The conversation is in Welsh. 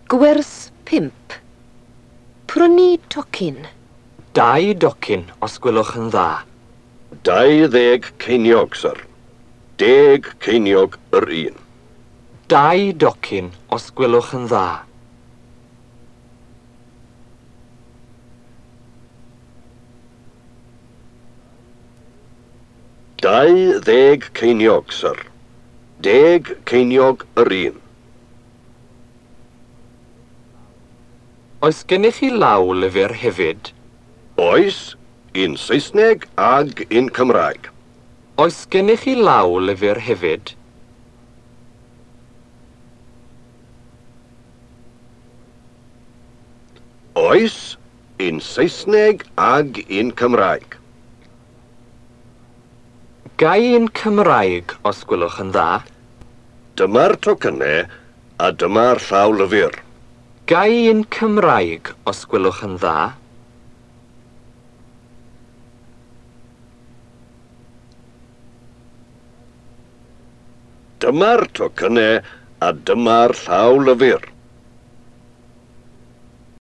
Gwers 5. Prynu tocyn. Dau docyn, os gwelwch yn dda. 20 ceiniog, syr. 10 ceiniog yr un. Dau docyn, os gwelwch yn dda. 20 ceiniog, syr. 10 ceiniog yr un. Oes gennych chi law lyfr hefyd? Oes, un Saesneg ag un Cymraeg. Oes gennych chi law lyfr hefyd? Oes, un Saesneg ag un Cymraeg. Ga i un Cymraeg, os gwelwch yn dda? Dyma'r tocynnau a dyma'r llawlyfr. Ga i un Cymraeg, os gwelwch yn dda? Dyma'r tocynnau a dyma'r llawlyfr.